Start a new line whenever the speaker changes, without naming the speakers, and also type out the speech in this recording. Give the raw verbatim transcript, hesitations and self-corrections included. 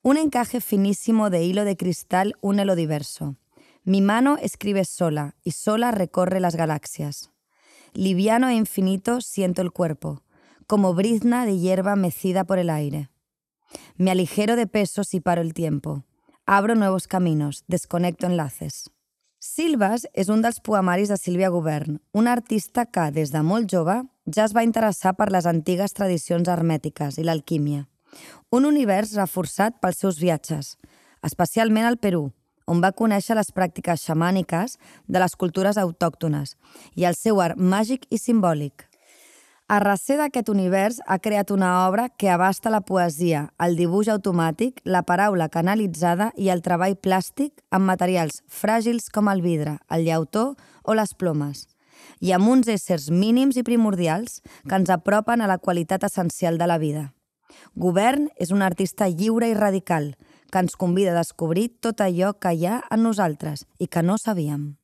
Un encaje finísimo de hilo de cristal une lo diverso. Mi mano escribe sola y sola recorre las galaxias. Liviano e infinito siento el cuerpo, como brizna de hierba mecida por el aire. Me aligero de pesos y paro el tiempo. Abro nuevos caminos, desconecto enlaces. Silves és un dels poemaris de Sílvia Gubern, una artista que, des de molt jove, ja es va interessar per les antigues tradicions hermètiques i l'alquímia. Un univers reforçat pels seus viatges, especialment al Perú, on va conèixer les pràctiques xamàniques de les cultures autòctones i el seu art màgic i simbòlic. A recer d'aquest univers ha creat una obra que abasta la poesia, el dibuix automàtic, la paraula canalitzada i el treball plàstic amb materials fràgils com el vidre, el llautó o les plomes, i amb uns éssers mínims i primordials que ens apropen a la qualitat essencial de la vida. Gubern és un artista lliure i radical que ens convida a descobrir tot allò que hi ha en nosaltres i que no sabíem.